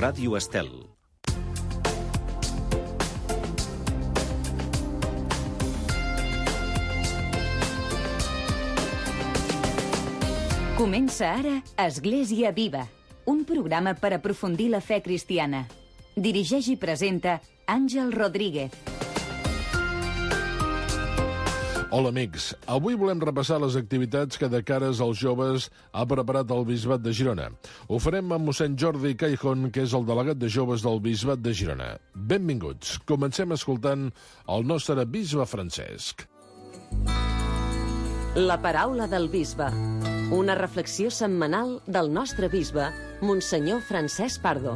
Ràdio Estel. Comença ara Església Viva, un programa per aprofundir la fe cristiana. Dirigeix i presenta Àngel Rodríguez. Hola, amics. Avui volem repassar les activitats que de cares als joves ha preparat el Bisbat de Girona. Ho farem amb mossèn Jordi Caijón, que és el delegat de joves del Bisbat de Girona. Benvinguts. Comencem escoltant el nostre bisbe Francesc. La paraula del bisbe. Una reflexió setmanal del nostre bisbe, Monsenyor Francesc Pardo.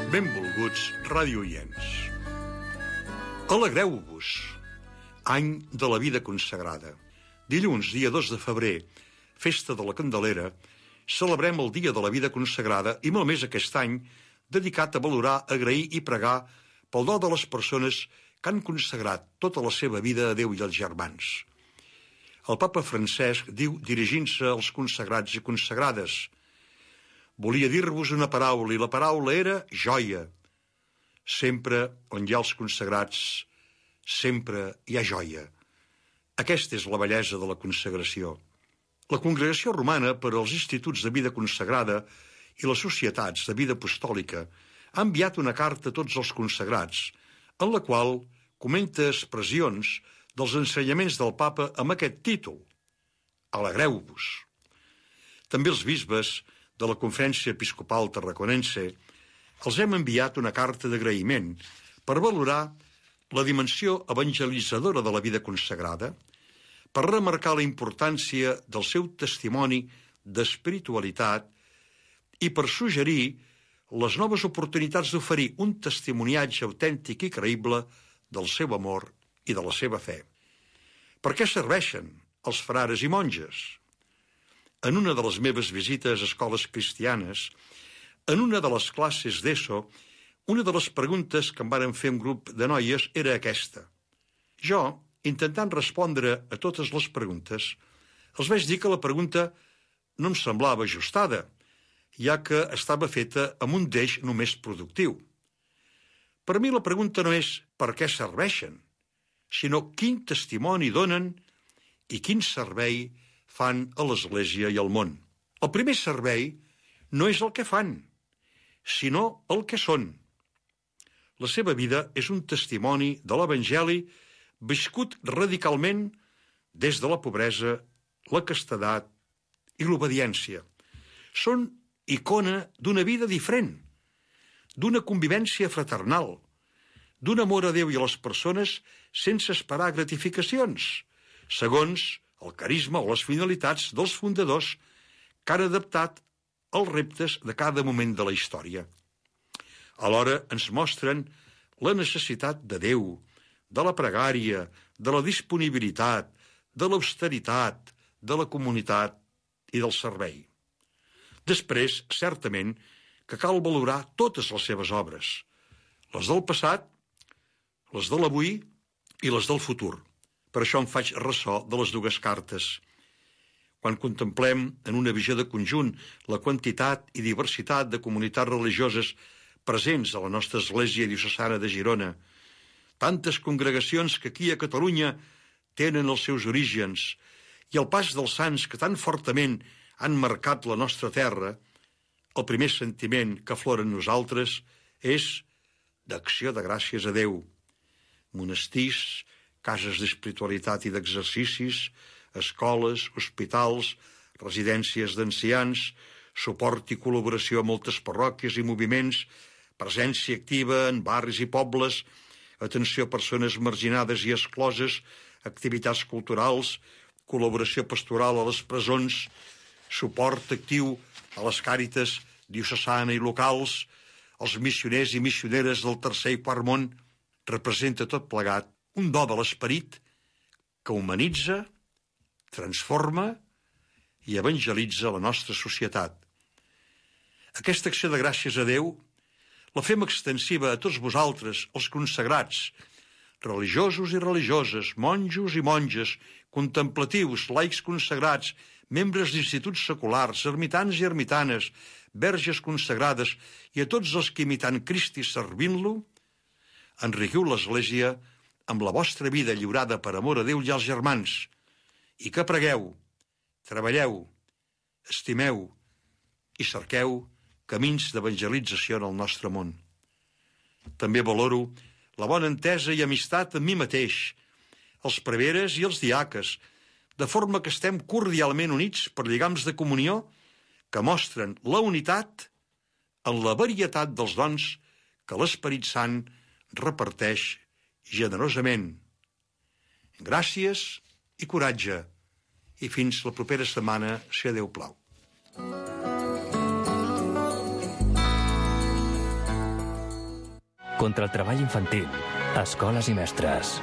Benvolguts radioients. Alegreu-vos, any de la vida consagrada. Dilluns, dia 2 de febrer, festa de la Candelera, celebrem el dia de la vida consagrada i molt més aquest any dedicat a valorar, agrair i pregar pel do de les persones que han consagrat tota la seva vida a Déu i als germans. El papa Francesc diu, dirigint-se als consagrats i consagrades: volia dir-vos una paraula, i la paraula era joia. Sempre on hi ha els consagrats, sempre hi ha joia. Aquesta és la bellesa de la consagració. La Congregació Romana per als Instituts de Vida Consagrada i les Societats de Vida Apostòlica ha enviat una carta a tots els consagrats, en la qual comenta expressions dels ensenyaments del papa amb aquest títol: Alegreu-vos. També els bisbes de la Conferència Episcopal Tarraconense els hem enviat una carta d'agraïment per valorar la dimensió evangelitzadora de la vida consagrada, per remarcar la importància del seu testimoni d'espiritualitat i per suggerir les noves oportunitats d'oferir un testimoniatge autèntic i creïble del seu amor i de la seva fe. Per què serveixen els frares i monges? En una de les meves visites a escoles cristianes, en una de les classes d'ESO, una de les preguntes que em varen fer un grup de noies era aquesta. Jo, intentant respondre a totes les preguntes, els vaig dir que la pregunta no em semblava ajustada, ja que estava feta amb un deix només productiu. Per mi la pregunta no és per què serveixen, sinó quin testimoni donen i quin servei fan a l'Església i al món. El primer servei no és el que fan, sinó el que són. La seva vida és un testimoni de l'Evangeli viscut radicalment des de la pobresa, la castedat i l'obediència. Són icona d'una vida diferent, d'una convivència fraternal, d'un amor a Déu i a les persones sense esperar gratificacions, segons el carisma o les finalitats dels fundadors que han adaptat els reptes de cada moment de la història. Alhora ens mostren la necessitat de Déu, de la pregària, de la disponibilitat, de l'austeritat, de la comunitat i del servei. Després, certament, que cal valorar totes les seves obres, les del passat, les de l'avui i les del futur. Per això em faig ressò de les dues cartes. Quan contemplem en una visió de conjunt la quantitat i diversitat de comunitats religioses presents a la nostra Església Diocesana de Girona, tantes congregacions que aquí a Catalunya tenen els seus orígens, i el pas dels sants que tan fortament han marcat la nostra terra, el primer sentiment que aflora en nosaltres és d'acció de gràcies a Déu. Monestirs, cases d'espiritualitat i d'exercicis, escoles, hospitals, residències d'ancians, suport i col·laboració a moltes parròquies i moviments, presència activa en barris i pobles, atenció a persones marginades i excloses, activitats culturals, col·laboració pastoral a les presons, suport actiu a les càritas diocesana i locals, els missioners i missioneres del tercer i quart món. Representa tot plegat un do de l'esperit que humanitza, transforma i evangelitza la nostra societat. Aquesta acció de gràcies a Déu la fem extensiva a tots vosaltres, els consagrats, religiosos i religioses, monjos i monges, contemplatius, laics consagrats, membres d'instituts seculars, ermitans i ermitanes, verges consagrades i a tots els que imitant Cristi servint-lo, enriquiu l'Església amb la vostra vida lliurada per amor a Déu i als germans, i que pregueu, treballeu, estimeu i cerqueu camins d'evangelització en el nostre món. També valoro la bona entesa i amistat amb mi mateix, els preveres i els diaques, de forma que estem cordialment units per lligams de comunió que mostren la unitat en la varietat dels dons que l'Esperit Sant reparteix generosament. Gràcies i coratge, i fins la propera setmana, si a Déu plau. Contra el treball infantil, escoles i mestres.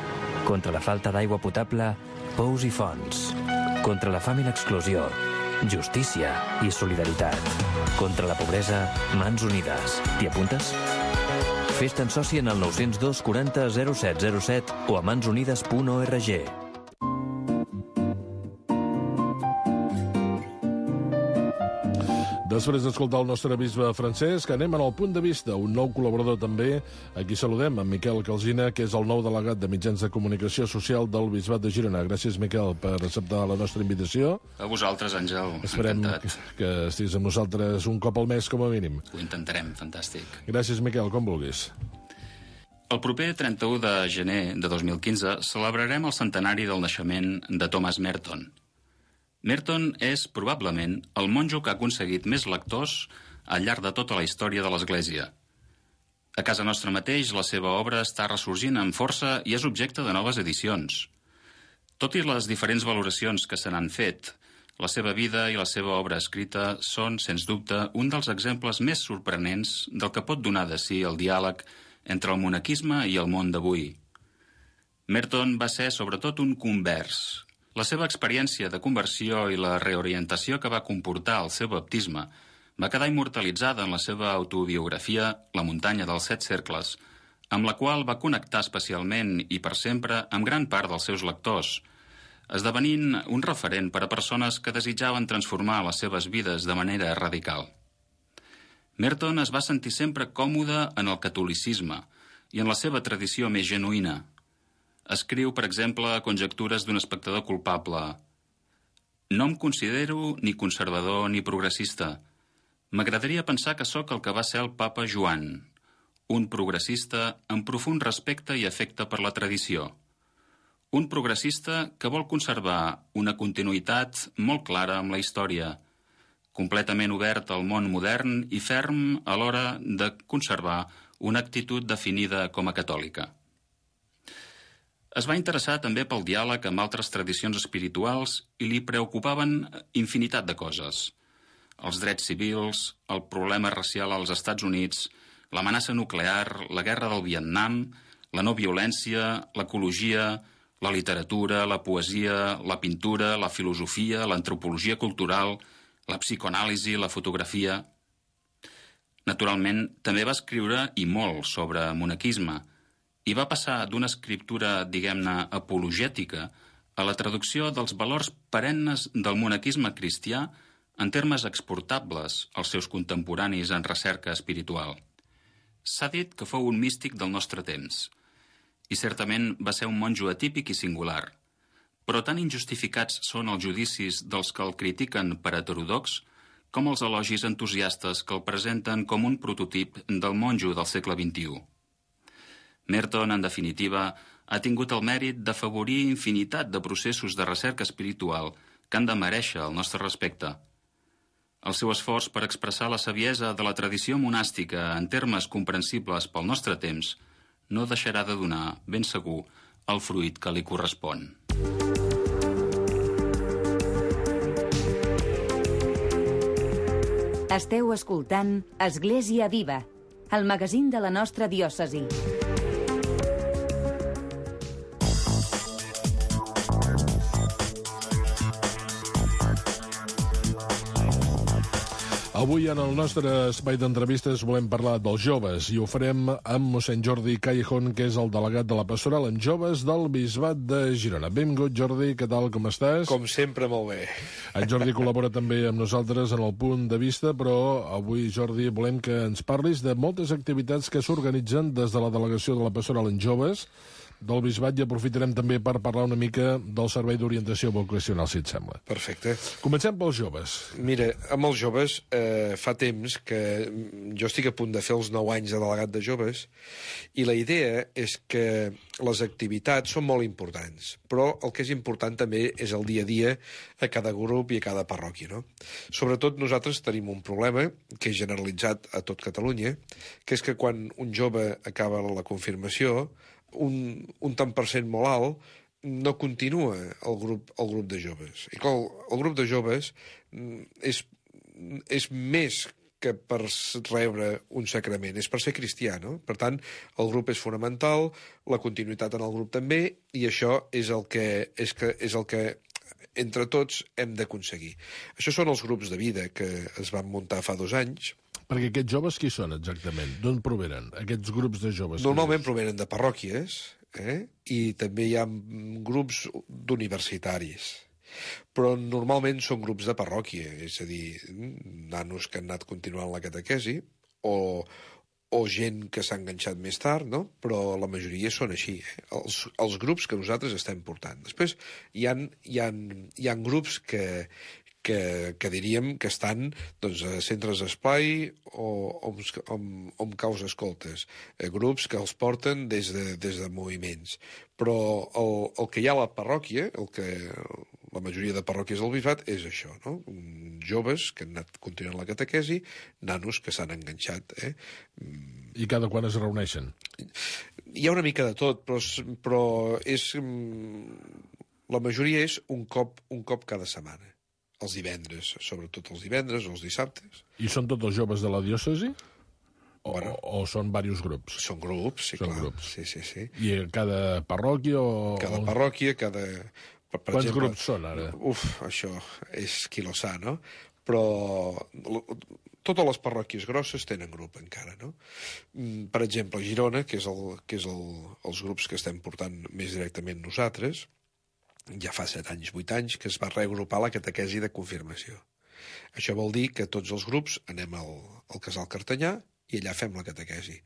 Contra la falta d'aigua potable, pous i fonts. Contra la fam i l'exclusió, justícia i solidaritat. Contra la pobresa, mans unides. T'hi apuntes? Fes-te'n soci en el 902 40 0707 o a mansunides.org. Després d'escoltar el nostre bisbe Francesc, anem al punt de vista, un nou col·laborador també. Aquí saludem en Miquel Calsina, que és el nou delegat de mitjans de comunicació social del Bisbat de Girona. Gràcies, Miquel, per acceptar la nostra invitació. A vosaltres, Àngel. Esperem que estiguis amb nosaltres un cop al mes, com a mínim. Ho intentarem, fantàstic. Gràcies, Miquel, com vulguis. El proper 31 de gener de 2015 celebrarem el centenari del naixement de Thomas Merton. Merton és, probablement, el monjo que ha aconseguit més lectors al llarg de tota la història de l'Església. A casa nostra mateix, la seva obra està ressorgint amb força i és objecte de noves edicions. Tot i les diferents valoracions que se n'han fet, la seva vida i la seva obra escrita són, sens dubte, un dels exemples més sorprenents del que pot donar de si el diàleg entre el monaquisme i el món d'avui. Merton va ser, sobretot, un convers. La seva experiència de conversió i la reorientació que va comportar el seu baptisme va quedar immortalitzada en la seva autobiografia La muntanya dels 7 cercles, amb la qual va connectar especialment i per sempre amb gran part dels seus lectors, esdevenint un referent per a persones que desitjaven transformar les seves vides de manera radical. Merton es va sentir sempre còmode en el catolicisme i en la seva tradició més genuïna. Escriu, per exemple, Conjectures d'un espectador culpable. No em considero ni conservador ni progressista. M'agradaria pensar que sóc el que va ser el papa Joan, un progressista amb profund respecte i afecte per la tradició. Un progressista que vol conservar una continuïtat molt clara amb la història, completament obert al món modern i ferm a l'hora de conservar una actitud definida com a catòlica. Es va interessar també pel diàleg amb altres tradicions espirituals i li preocupaven infinitat de coses. Els drets civils, el problema racial als Estats Units, l'amenaça nuclear, la guerra del Vietnam, la no violència, l'ecologia, la literatura, la poesia, la pintura, la filosofia, l'antropologia cultural, la psicoanàlisi, la fotografia. Naturalment, també va escriure i molt sobre monaquisme, i va passar d'una escriptura, diguem-ne, apologètica a la traducció dels valors perennes del monaquisme cristià en termes exportables als seus contemporanis en recerca espiritual. S'ha dit que fou un místic del nostre temps, i certament va ser un monjo atípic i singular, però tan injustificats són els judicis dels que el critiquen per heterodox com els elogis entusiastes que el presenten com un prototip del monjo del segle XXI. Merton, en definitiva, ha tingut el mèrit d'afavorir infinitat de processos de recerca espiritual que han de merèixer el nostre respecte. El seu esforç per expressar la saviesa de la tradició monàstica en termes comprensibles pel nostre temps no deixarà de donar, ben segur, el fruit que li correspon. Esteu escoltant Església Viva, el magazín de la nostra diòcesi. Avui en el nostre espai d'entrevistes volem parlar dels joves i ho farem amb mossèn Jordi Callejón, que és el delegat de la pastoral en joves del Bisbat de Girona. Benvingut, Jordi, què tal, com estàs? Com sempre, molt bé. En Jordi col·labora també amb nosaltres en el Punt de Vista, però avui, Jordi, volem que ens parlis de moltes activitats que s'organitzen des de la delegació de la pastoral en joves del Bisbat, i aprofitarem també per parlar una mica del servei d'orientació vocacional, si et sembla. Perfecte. Comencem pels joves. Mira, amb els joves fa temps que jo estic a punt de fer els 9 anys de delegat de joves i la idea és que les activitats són molt importants, però el que és important també és el dia a dia a cada grup i a cada parròquia, no? Sobretot nosaltres tenim un problema que és generalitzat a tot Catalunya, que és que quan un jove acaba la confirmació, un tant per cent molt alt no continua el grup de joves. I clar, el grup de joves és més que per rebre un sacrament, és per ser cristià, no? Per tant, el grup és fonamental, la continuïtat en el grup també, i això és el que entre tots hem d'aconseguir. Això són els grups de vida que es van muntar fa 2 anys. Perquè aquests joves qui són exactament? D'on provenen aquests grups de joves? Normalment provenen de parròquies, i també hi ha grups d'universitaris. Però normalment són grups de parròquia, és a dir, nanos que han anat continuant la catequesi o gent que s'ha enganxat més tard, no? Però la majoria són així, els grups que nosaltres estem portant. Després hi ha grups que diríem que estan doncs, a centres d'esplai o amb caus escoltes, grups que els porten des de moviments. Però el que hi ha a la parròquia, la majoria de parròquies del Bisbat, és això, no? Joves que han anat continuant la catequesi, nanos que s'han enganxat. I cada quan es reuneixen? Hi ha una mica de tot, però la majoria és un cop cada setmana. Els divendres, sobretot els divendres o els dissabtes. I són tots els joves de la diòcesi? O són diversos grups? Són grups, sí, clar. Grups. Sí. I cada parròquia o... Cada parròquia, Quants grups són, ara? Això és qui lo sa, no? Però totes les parròquies grosses tenen grup encara, no? Per exemple, a Girona, que és els grups que estem portant més directament nosaltres, ja fa 7 anys, 8 anys, que es va reagrupar la catequesi de confirmació. Això vol dir que tots els grups anem al Casal Cartanyà i allà fem la catequesi,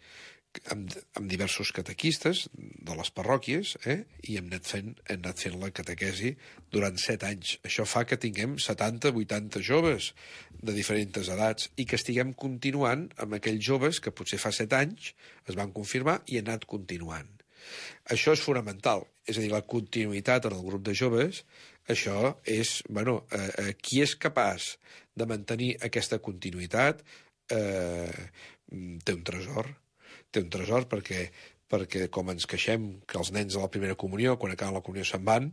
amb diversos catequistes de les parròquies, i hem anat fent la catequesi durant 7 anys. Això fa que tinguem 70-80 joves de diferents edats i que estiguem continuant amb aquells joves que potser fa 7 anys es van confirmar i han anat continuant. Això és fonamental, és a dir, la continuïtat en el grup de joves, això és, qui és capaç de mantenir aquesta continuïtat té un tresor. Té un tresor perquè com ens queixem que els nens de la primera comunió, quan acaben la comunió se'n van,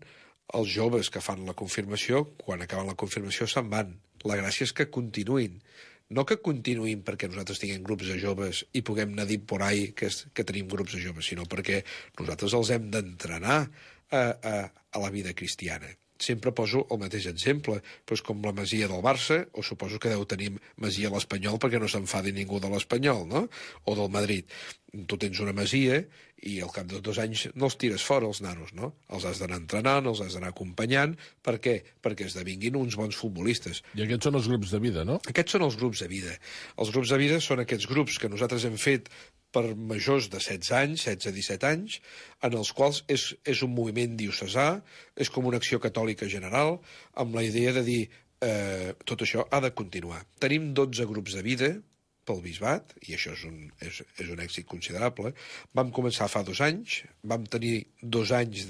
els joves que fan la confirmació, quan acaben la confirmació se'n van. La gràcia és que continuïn. No que continuïn perquè nosaltres tinguem grups de joves i puguem anar dit por ahí que tenim grups de joves, sinó perquè nosaltres els hem d'entrenar a la vida cristiana. Sempre poso el mateix exemple, doncs com la Masia del Barça, o suposo que deu tenir Masia a l'Espanyol perquè no s'enfadi ningú de l'Espanyol, no? O del Madrid. Tu tens una masia i al cap de 2 anys no els tires fora, els nanos, no? Els has d'anar entrenant, els has d'anar acompanyant. Per què? Perquè esdevinguin uns bons futbolistes. I aquests són els grups de vida, no? Aquests són els grups de vida. Els grups de vida són aquests grups que nosaltres hem fet per majors de 16 anys, 16-17 anys, en els quals és un moviment diocesà, és com una acció catòlica general, amb la idea de dir tot això ha de continuar. Tenim 12 grups de vida pel Bisbat, i això és un èxit considerable. Vam començar fa 2 anys, vam tenir 2 anys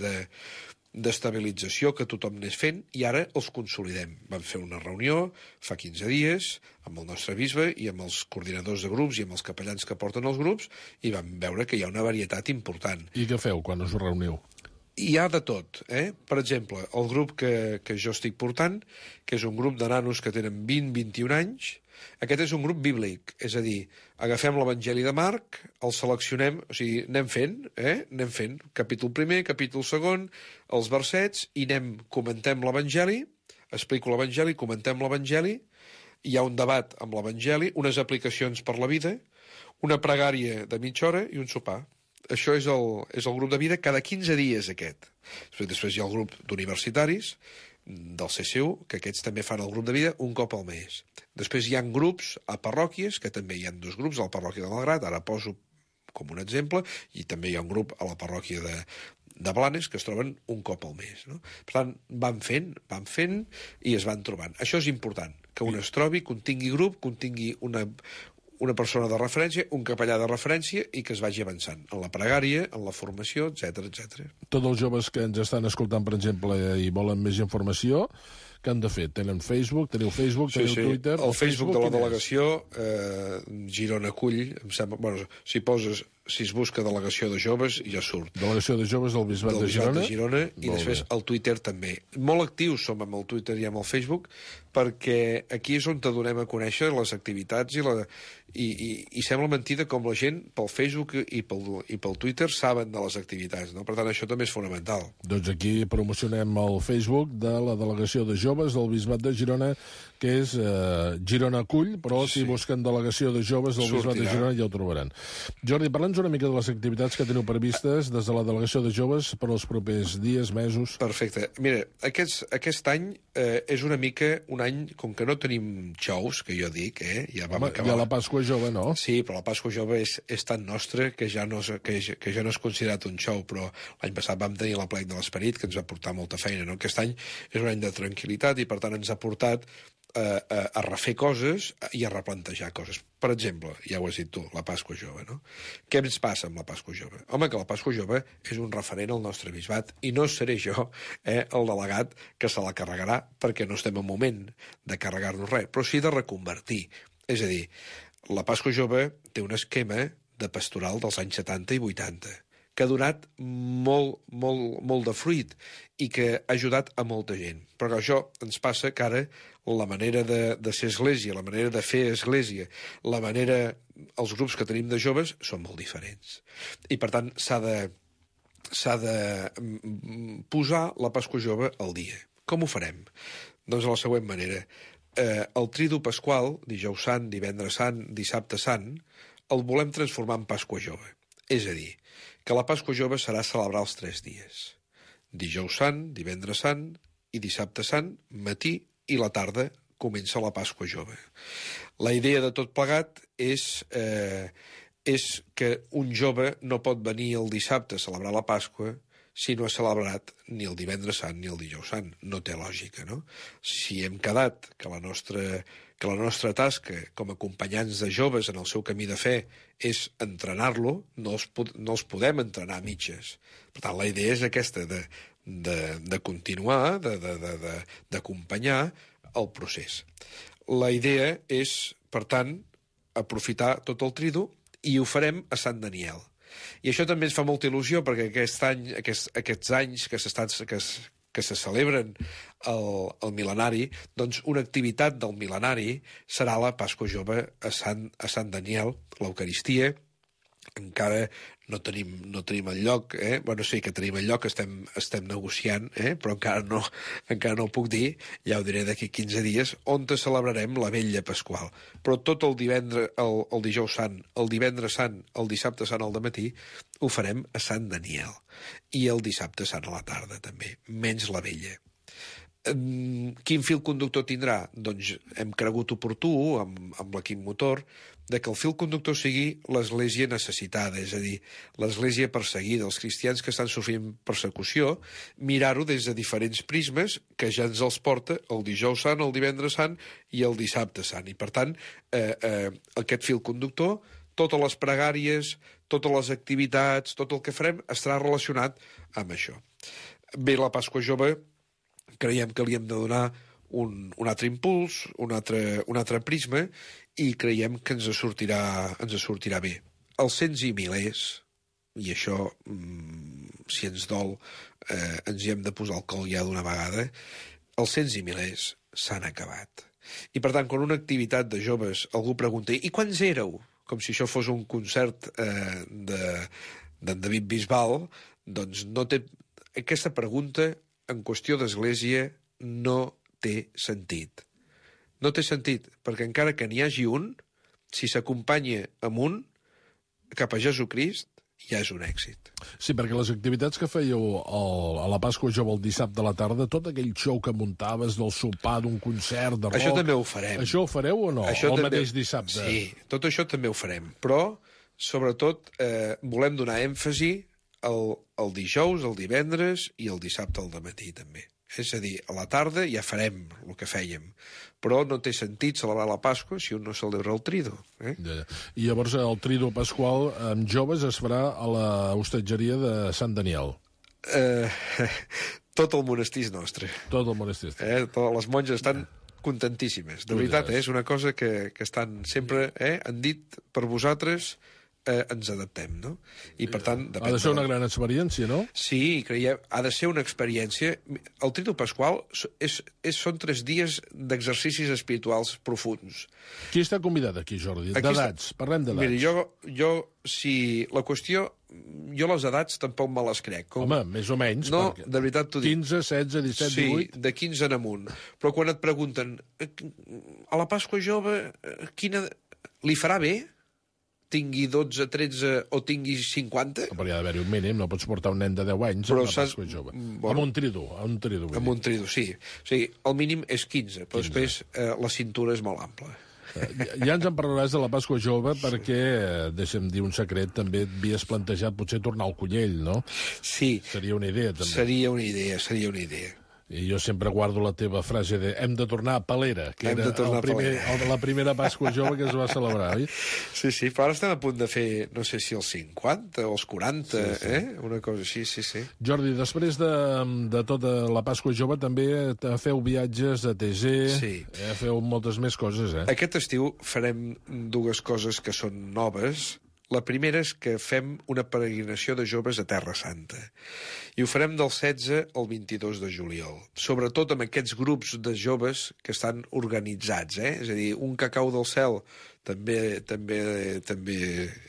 d'estabilització que tothom anés fent, i ara els consolidem. Vam fer una reunió fa 15 dies amb el nostre bisbe i amb els coordinadors de grups i amb els capellans que porten els grups, i vam veure que hi ha una varietat important. I què feu quan us reuniu? Hi ha de tot, Per exemple, el grup que jo estic portant, que és un grup de nanos que tenen 20-21 anys, aquest és un grup bíblic, és a dir, agafem l'Evangeli de Marc, el seleccionem, o sigui, anem fent, capítol 1, capítol 2, els versets, i comentem l'Evangeli, explico l'Evangeli, comentem l'Evangeli, hi ha un debat amb l'Evangeli, unes aplicacions per la vida, una pregària de mitja hora i un sopar. Això és el grup de vida cada 15 dies, aquest. Després hi ha el grup d'universitaris, del CCU, que aquests també fan el grup de vida un cop al mes. Després hi ha grups a parròquies, que també hi ha 2 grups, a la parròquia de Malgrat, ara poso com un exemple, i també hi ha un grup a la parròquia de Blanes que es troben un cop al mes. No? Per tant, van fent i es van trobant. Això és important, que un es trobi, que un tingui grup, que un tingui una persona de referència, un capellà de referència i que es vagi avançant en la pregària, en la formació, etc. Tots els joves que ens estan escoltant, per exemple, i volen més informació, què han de fer? Teniu Facebook, teniu Twitter... El Facebook de la delegació, Girona Acull, em sembla... Bueno, si es busca delegació de joves, ja surt. Delegació de joves del Bisbat de Girona. I després el Twitter també. Molt actius som amb el Twitter i amb el Facebook, perquè aquí és on te donem a conèixer les activitats i sembla mentida com la gent pel Facebook i pel Twitter saben de les activitats, no? Per tant, això també és fonamental. Doncs aquí promocionem el Facebook de la delegació de joves del Bisbat de Girona, que és Girona Acull, però si busquen delegació de joves del Bisbat de Girona ja ho trobaran. Jordi, parla'ns una mica de les activitats que teniu previstes des de la delegació de joves per als propers dies, mesos. Perfecte. Mira, aquest any és una mica un any, com que no tenim xous, que jo dic, ja vam acabar... Hi ha la Pasqua Jove, no? Sí, però la Pasqua Jove és tan nostra que ja no és considerat un xou, però l'any passat vam tenir l'Aplec de l'Esperit, que ens va portar molta feina, no? Aquest any és un any de tranquil·litat i, per tant, ens ha portat a refer coses i a replantejar coses. Per exemple, ja ho has dit tu, la Pasqua Jove, no? Què ens passa amb la Pasqua Jove? Home, que la Pasqua Jove és un referent al nostre bisbat i no seré jo el delegat que se la carregarà perquè no estem en moment de carregar-nos res, però sí de reconvertir. És a dir, la Pasqua Jove té un esquema de pastoral dels anys 70 i 80 que ha donat molt de fruit i que ha ajudat a molta gent. Però això ens passa que ara la manera de ser església, la manera de fer església, els grups que tenim de joves són molt diferents. I, per tant, s'ha de posar la Pasqua Jove al dia. Com ho farem? Doncs de la següent manera. El Tridu Pasqual, dijous sant, divendres sant, dissabte sant, el volem transformar en Pasqua Jove. És a dir, que la Pasqua Jove serà celebrar els 3 dies. Dijous sant, divendres sant i dissabte sant, matí i la tarda comença la Pasqua Jove. La idea de tot plegat és que un jove no pot venir el dissabte a celebrar la Pasqua si no ha celebrat ni el divendres sant ni el dijous sant. No té lògica, no? Si hem quedat que la nostra tasca com a acompanyants de joves en el seu camí de fe és entrenar-lo, no els podem entrenar a mitges. Per tant, la idea és aquesta, de continuar, d'acompanyar el procés. La idea és, per tant, aprofitar tot el tridu i ho farem a Sant Daniel. I això també ens fa molta il·lusió perquè aquests anys que se celebren el mil·lenari, doncs una activitat del mil·lenari serà la Pasqua Jove a Sant Daniel, l'Eucaristia. Encara no tenim el lloc, Bueno, sí que tenim el lloc, estem negociant, però encara no ho puc dir, ja ho diré d'aquí 15 dies, on celebrarem la Vetlla Pasqual. Però tot el divendres, el dijous sant, el divendres sant, el dissabte sant al dematí, ho farem a Sant Daniel. I el dissabte sant a la tarda, també, menys la Vetlla. Quin fil conductor tindrà? Doncs hem cregut oportú, amb l'equip motor, de que el fil conductor sigui l'església necessitada, és a dir, l'església perseguida, els cristians que estan sofrint persecució, mirar-ho des de diferents prismes que ja ens els porta el dijous sant, el divendres sant i el dissabte sant. I, per tant, aquest fil conductor, totes les pregàries, totes les activitats, tot el que farem estarà relacionat amb això. Bé, la Pasqua Jove creiem que li hem de donar un altre impuls, un altre prisma, i creiem que ens sortirà bé. Els cents i milers, i això, si ens dol, ens hi hem de posar el col ja d'una vegada, els cents i milers s'han acabat. I, per tant, quan una activitat de joves algú pregunta «I quants éreu?», com si això fos un concert d'en David Bisbal, doncs no té... Aquesta pregunta, en qüestió d'església, no té sentit. No té sentit, perquè encara que n'hi hagi un, si s'acompanya amb un, cap a Jesucrist, ja és un èxit. Sí, perquè les activitats que fèieu a la Pasqua Jove el dissabte a la tarda, tot aquell show que muntaves del sopar, d'un concert, de rock... Això també ho farem. Això ho fareu o no? Això el també... mateix dissabte? Sí, tot això també ho farem. Però, sobretot, volem donar èmfasi el dijous, el divendres i el dissabte al dematí, també. És a dir, a la tarda ja farem el que fèiem, però no té sentit celebrar la Pasqua si un no celebra el Trido. Ja. I llavors el Trido Pasqual amb joves es farà a la hostatgeria de Sant Daniel. Tot el monestir és nostre. Tot el monestir. Les monges estan contentíssimes. De veritat, és una cosa que estan sempre... Han dit per vosaltres... ens adaptem, no? I, per tant... Ha de ser una gran experiència, no? Sí, creiem, ha de ser una experiència... El Trido Pasqual són 3 dies d'exercicis espirituals profuns. Qui està convidat aquí, Jordi? D'edats, parlem d'edats. Mira, jo, si la qüestió... Jo les edats tampoc me les crec. Home, més o menys. No, de veritat t'ho dic. 15, 16, 17, 18... Sí, de 15 en amunt. Però quan et pregunten a la Pasqua Jove, quina... Li farà bé? Tingui 12, 13 o tingui 50... Però hi ha d'haver-hi un mínim, no pots portar un nen de 10 anys a la Pasqua Jove. Bueno, amb un trido. Amb un trido, sí. O sigui, el mínim és 15, però 15. Després la cintura és molt ampla. Ja ens en parlaràs de la Pasqua Jove perquè, deixa'm dir un secret, també et havies plantejat potser tornar al Cullell, no? Sí. Seria una idea, també. Seria una idea. I jo sempre guardo la teva frase de hem de tornar a Palera, que era la primera Pasqua Jove que es va celebrar, oi? Sí, però ara estem a punt de fer, no sé si els 50 o els 40, sí. Una cosa així, sí. Jordi, després de tota la Pasqua Jove també feu viatges a TG, feu moltes més coses, Aquest estiu farem 2 coses que són noves. La primera és que fem una peregrinació de joves a Terra Santa. I ho farem del 16 al 22 de juliol. Sobretot amb aquests grups de joves que estan organitzats, És a dir, un cacau del cel també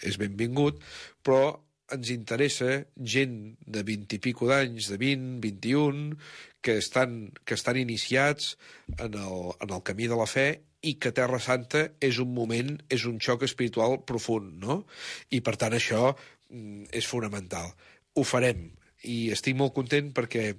és benvingut, però ens interessa gent de 20 i pico d'anys, de 20, 21, que estan iniciats en el camí de la fe i que Terra Santa és un moment, és un xoc espiritual profund, no? I, per tant, això és fonamental. Ho farem, i estic molt content perquè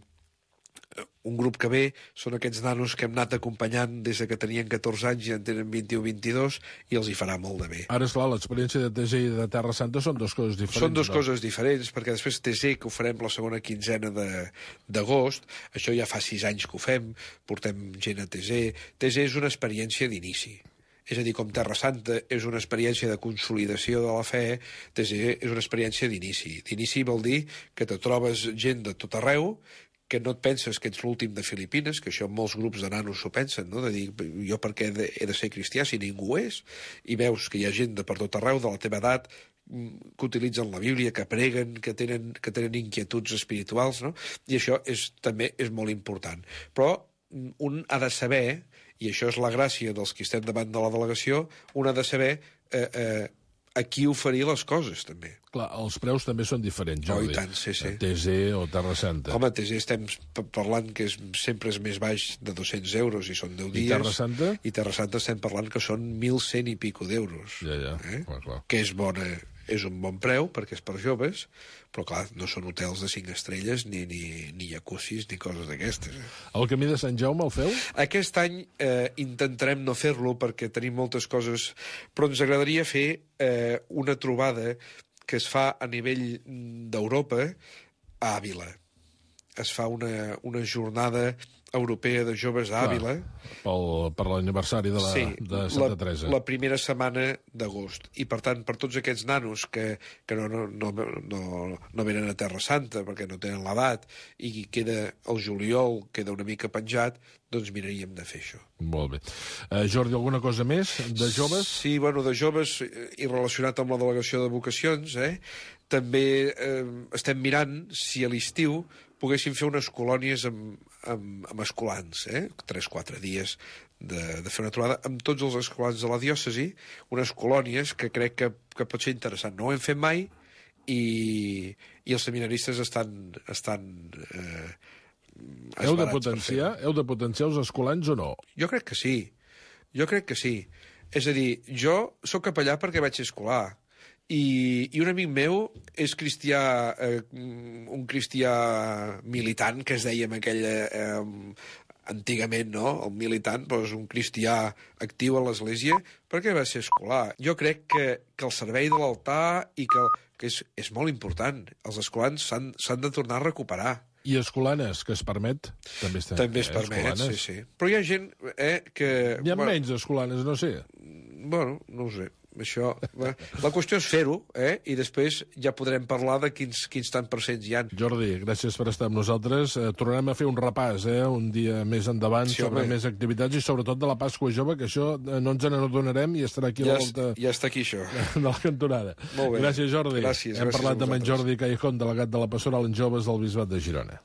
un grup que ve són aquests nanos que hem anat acompanyant des que tenien 14 anys i en tenen 21-22 i els hi farà molt de bé. Ara, esclar, l'experiència de TG i de Terra Santa són 2 coses diferents. Són 2 coses diferents, perquè després TG, que ho farem la segona quinzena d'agost, això ja fa 6 anys que ho fem, portem gent a TG. TG és una experiència d'inici. És a dir, com Terra Santa és una experiència de consolidació de la fe, TG és una experiència d'inici. D'inici vol dir que te trobes gent de tot arreu, que no et penses que ets l'últim de Filipines, que això molts grups de nanos s'ho pensen, no? De dir, jo per què he de ser cristià si ningú ho és? I veus que hi ha gent de per tot arreu, de la teva edat, que utilitzen la Bíblia, que preguen, que tenen inquietuds espirituals, no? I això també és molt important. Però un ha de saber, i això és la gràcia dels que estem davant de la delegació, un ha de saber a qui oferir les coses, també. Clar, els preus també són diferents, Jordi. Oh, i tant, sí. TG o Terra Santa. Home, TG estem parlant que sempre és més baix de 200 euros i són 10 dies. I Terra Santa? I Terra Santa estem parlant que són 1.100 i pico d'euros. Ja. Clar. Que és un bon preu, perquè és per joves, però clar, no són hotels de 5 estrelles, ni jacuzzis, ni coses d'aquestes. El Camí de Sant Jaume el feu? Aquest any intentarem no fer-lo perquè tenim moltes coses, però ens agradaria fer una trobada que es fa a nivell d'Europa a Àvila. Es fa una jornada europea de joves a Àvila. Per l'aniversari de Santa Teresa. La primera setmana d'agost. I, per tant, per tots aquests nanos que no venen a Terra Santa perquè no tenen l'edat i queda el juliol, queda una mica penjat, doncs miraríem de fer això. Molt bé. Jordi, alguna cosa més de joves? Sí, de joves i relacionat amb la delegació de vocacions, també estem mirant si a l'estiu poguéssim fer unes colònies amb escolans, 3-4 dies de fer una trobada amb tots els escolans de la diòcesi, unes colònies que crec que pot ser interessant. No ho hem fet mai i els seminaristes estan Heu de potenciar els escolans o no? Jo crec que sí. Jo crec que sí. És a dir, jo sóc capellà perquè vaig ser escolar. I un amic meu és cristià, un cristià militant, que es deia en aquella... antigament, no?, el militant, però és un cristià actiu a l'Església, perquè va ser escolar. Jo crec que el servei de l'altar i que és molt important. Els escolans s'han de tornar a recuperar. I escolanes, que es permet, també està. També es permet, escolanes. Sí. Però hi ha gent que... Hi ha menys escolanes, no sé. Bueno, no ho sé. Això, la qüestió és fer-ho, i després ja podrem parlar de quins tant percents hi ha. Jordi, gràcies per estar amb nosaltres. Tornarem a fer un repàs, un dia més endavant, sobre més activitats i sobretot de la Pasqua Jove, que això no ens n'adonarem i estarà aquí a la volta... Ja està aquí, això. De la cantonada. Molt bé. Gràcies, Jordi. Gràcies. Hem parlat amb en Jordi Callejón, delegat de la Pastoral en Joves del Bisbat de Girona.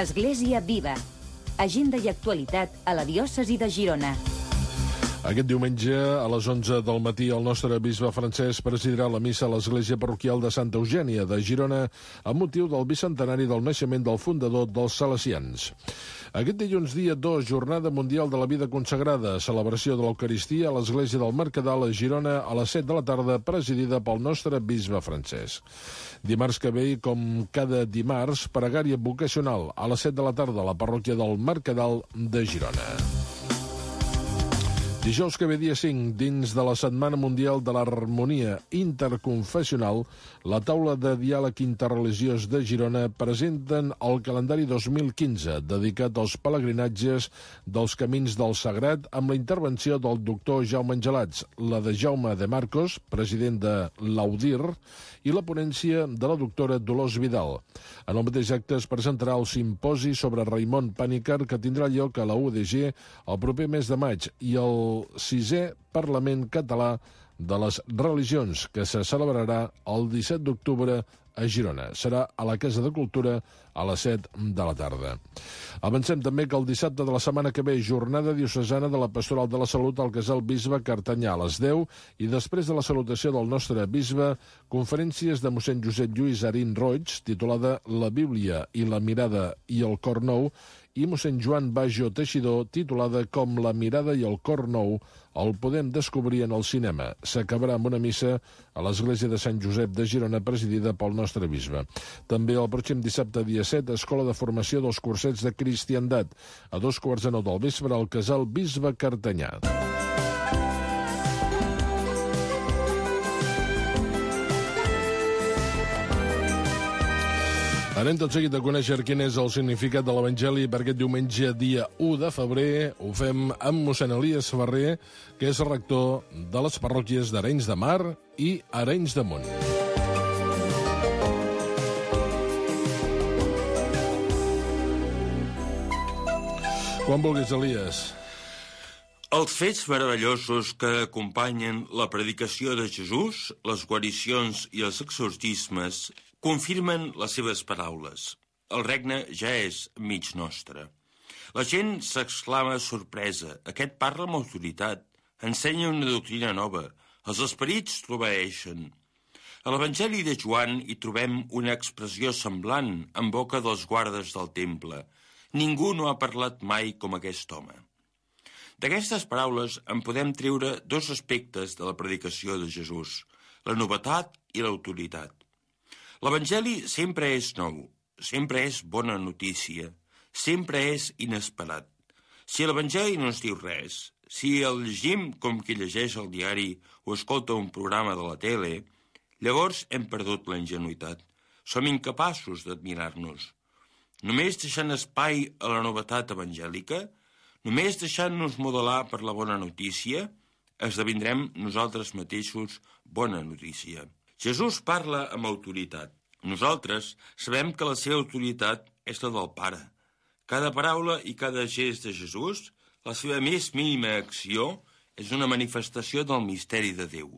Església Viva. Agenda i actualitat a la diòcesi de Girona. Aquest diumenge, a les 11 del matí, el nostre bisbe Francesc presidirà la missa a l'església parroquial de Santa Eugènia de Girona amb motiu del bicentenari del naixement del fundador dels Salesians. Aquest dilluns, dia 2, Jornada Mundial de la Vida Consagrada, celebració de l'Eucaristia a l'església del Mercadal a Girona a les 7 de la tarda, presidida pel nostre bisbe Francesc. Dimarts que ve, com cada dimarts, pregària vocacional a les 7 de la tarda a la parròquia del Mercadal de Girona. Dijous que ve, dia 5, dins de la Setmana Mundial de l'Harmonia Interconfessional, la taula de diàleg interreligiós de Girona presenten el calendari 2015, dedicat als pelegrinatges dels Camins del Sagrat, amb la intervenció del doctor Jaume Angelats, la de Jaume de Marcos, president de l'Audir, i la ponència de la doctora Dolors Vidal. En el mateix acte es presentarà el simposi sobre Raimon Panikkar, que tindrà lloc a la UDG el proper mes de maig, i el 6è Parlament Català de les Religions, que se celebrarà el 17 d'octubre a Girona. Serà a la Casa de Cultura a les 7 de la tarda. Avancem també que el dissabte de la setmana que ve, jornada diocesana de la Pastoral de la Salut al Casal Bisbe Cartanyà a les 10 i després de la salutació del nostre bisbe, conferències de mossèn Josep Lluís Arín Roig, titulada La Bíblia i la mirada i el cor nou, i mossèn Joan Bajo Teixidor, titulada Com la mirada i el cor nou el podem descobrir en el cinema. S'acabarà amb una missa a l'església de Sant Josep de Girona, presidida pel nostre bisbe. També el pròxim dissabte, dia 7, Escola de Formació dels Cursets de Cristiandat, a 8:45 del vespre al Casal Bisbe Cartanyà. Anem tot seguit a conèixer quin és el significat de l'Evangeli per aquest diumenge, dia 1 de febrer. Ho fem amb mossèn Elies Ferrer, que és rector de les parròquies d'Arenys de Mar i Arenys de Munt. Quan vulguis, Elies. Els fets meravellosos que acompanyen la predicació de Jesús, les guaricions i els exorcismes, confirmen les seves paraules. El regne ja és mig nostre. La gent s'exclama sorpresa. Aquest parla amb autoritat. Ensenya una doctrina nova. Els esperits l'obeeixen. A l'Evangeli de Joan hi trobem una expressió semblant en boca dels guardes del temple. Ningú no ha parlat mai com aquest home. D'aquestes paraules en podem treure dos aspectes de la predicació de Jesús, la novetat i l'autoritat. L'Evangeli sempre és nou, sempre és bona notícia, sempre és inesperat. Si l'Evangeli no ens diu res, si el llegim com qui llegeix el diari o escolta un programa de la tele, llavors hem perdut la ingenuïtat. Som incapaços d'admirar-nos. Només deixant espai a la novetat evangèlica, només deixant-nos modelar per la bona notícia, esdevindrem nosaltres mateixos bona notícia. Jesús parla amb autoritat. Nosaltres sabem que la seva autoritat és la del Pare. Cada paraula i cada gest de Jesús, la seva més mínima acció, és una manifestació del misteri de Déu.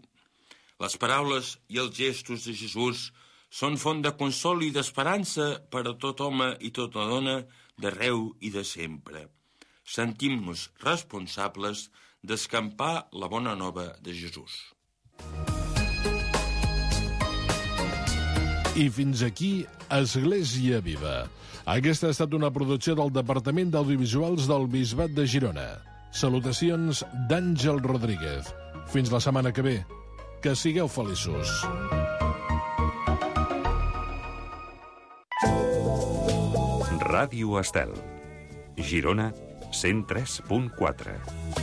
Les paraules i els gestos de Jesús són font de consol i d'esperança per a tot home i tota dona d'arreu i de sempre. Sentim-nos responsables d'escampar la bona nova de Jesús. I fins aquí Església Viva. Aquesta ha estat una producció del Departament d'Audiovisuals del Bisbat de Girona. Salutacions d'Àngel Rodríguez. Fins la setmana que ve. Que sigueu feliços. Ràdio Estel. Girona 103.4.